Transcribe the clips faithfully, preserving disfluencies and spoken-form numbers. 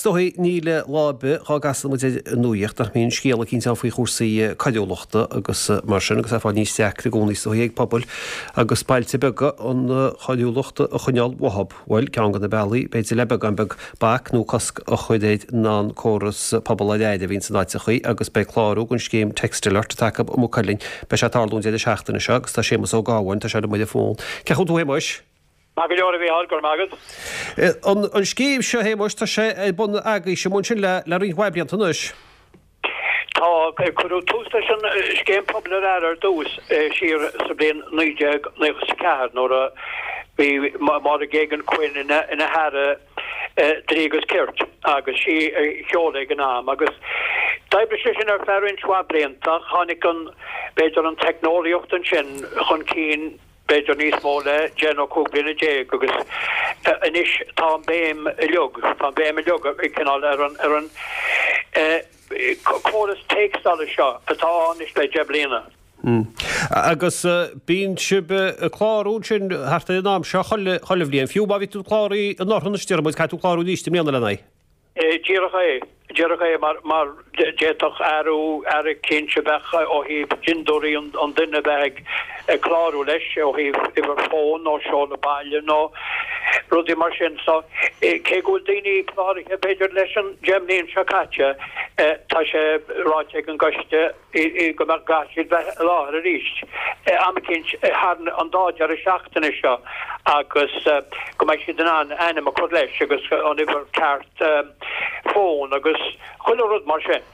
dóigh níl lá ar bith dhá gcasann muid ar an nuaíocht nach mbíonn scéal eicínt ann faoi chúrsaí coiriúlachta agus mar sin agus é ag fáil níos deacra i gcónaí is dóigh ag pobail agus bailte beaga an choiriúlacht a choinneáil uathub. Bhuel, ceann de na bealaí, b'fhéidir le beagán beag bac nó cosc a chur air ná an córas Pobal ar Aire a bhíonn san áiteachaí agus beidh clárú don scéim Text Alert atá acu i Maigh Cuilinn. Beidh sé ag tarlú an deireadh seachtaine seo agus tá Séamus Ó Gabháin, tá sé liom ar an bhfón. Cén chaoi a bhfuil tú a Shéamuis? Maith go leor a Mhícheáil, go raibh maith agat. An scéim seo, a Shéamuis, tá sé ar bun agaibhse ansin le le roinnt mhaith blianta anois. Tá, cuireadh tús leis an scéim Pobal ar Aire ar dtús siar sa bhliain naoi déag naocha is a ceathair nuair a bhí Máire Geoghegan Quinn ina ina hAire Dlí agus Cirt agus sí a sheol é ag an am agus d'oibrigh sé sin ar feadh roinnt mhaith blianta ach tháinig an, b'fhéidir an teicneolaíocht ansin chun cinn b'fhéidir níos mó le deich nó cúig bliana déag agus anois tá an béim uilig, tá an béim uilig cineál ar an, ar an córas téacsála seo atá ann anois le deich bliana. Agus bíonn sibh ag clárú ansin thart ar an am seo chuile, chuile bhliain, fiú má bhí tú cláraithe anuraidh anois déarfaidh muid, caithfidh tú clárú arís i mbliana lena aghaidh. Díreach é, díreach é, mar, mar d'fhéadfadh athrú, athrú eicínt a bheith ó thaobh dintiúirí an duine a bheith ag, ag clárú leis, ó thaobh uimhir fóin nó seoladh baile nó rudaí mar sin. So, cé go bhfuil daoine cláraithe b'fhéidir leis an deich mbliain seo caite, tá sé ráite ag an gcoiste, go mbeadh gcaithfidh siad bheith i láthair arís am eicínt thar an dá deireadh seachtaine seo agus go mbeidh siad in ann ainm a chur leis agus an uimhir ceart fóin agus chuile rud mar sin.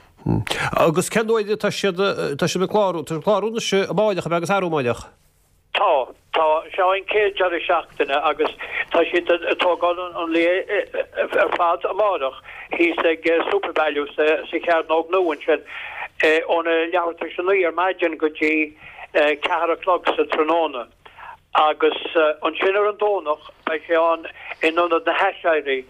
Agus cén uair atá siad tá siad ag clárú? Tá siad ag clárú anois amáireach ab ea agus arú amáireach? Tá, tá. Seo an chéad deireadh seachtaine agus tá siad ag tógáil an lae ar fad amárach thíos ag Supervalu sa Chearnóg Nua ansin óna leathuair tar éis a naoi ar maidin go dtí ceathair a chlog sa tráthnóna. Agus ansin ar an Domhnach beidh sé ann in Ionad na hAiséirí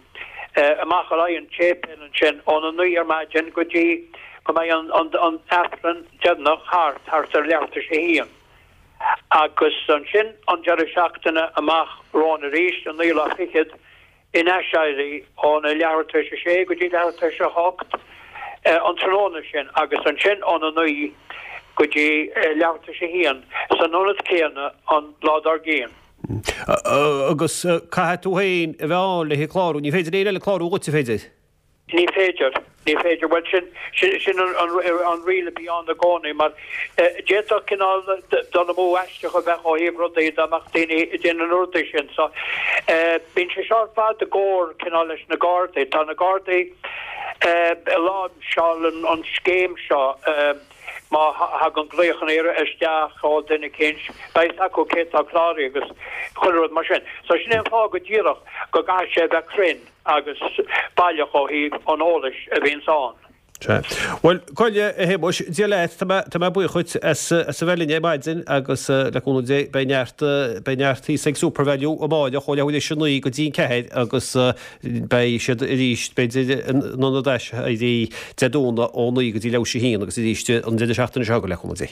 amach ar aghaidh an tséipéil ansin óna naoi ar maidin go dtí go mbeidh an Aifreann deireanach thart, thart ar leathuair tar éis a haon. Agus ansin an deireadh seachtaine amach romhainn arís, an naoú lá fichead, in Aiséirí, óna leathuair tar éis a sé go dtí leathuair tar éis a hocht an tráthnóna sin, agus ansin óna naoi go dtí leathuair tar éis a haon san ionad céanna an lá dár gcionn. Agus caithfidh tú féin a bheith ann le haghaidh clárú, ní féidir le éinne eile clárú dhuit, an féidir? Ní féidir. Ní féidir. Bhuel, sin, sin, sin an, an, an riail a bhí ann i gcónaí, mar d'fhéadfadh cineál dul amú aisteach a bheith ó thaobh rudaí dá mbeadh daoine ag déanamh na rudaí sin. So, bíonn sé seo ar fad i gcomhar cineál leis na Gardaí. Tá na Gardaí ag láimhseáil an, an scéim seo. Má thagann glaochanna isteach ó duine eicínt, beidh fhios acu cé atá cláraithe agus chuile rud mar sin. So, sin é an fáth go díreach go gcaithfidh sé a bheith cruinn. agus baileach ó thaobh an eolais a bhíonns ann. Sea. Bhuel, Coille, a Shéamuis, Dia leat, tá mé, tá mé buíoch dhuit as, as a bheith linn ar maidin agus le cúnamh Dé beidh neart, beidh neart thíos ag Supervalu amáireach ó leathuair théis a naoi go dtí an ceathair agus beidh siad arís, b'fhéidir, in Ionad Aiséirí Dé Domhnaigh ó naoi go dtí leathuair théis a haon agus arís an deireadh seachtaine seo chugainn le cúnamh Dé.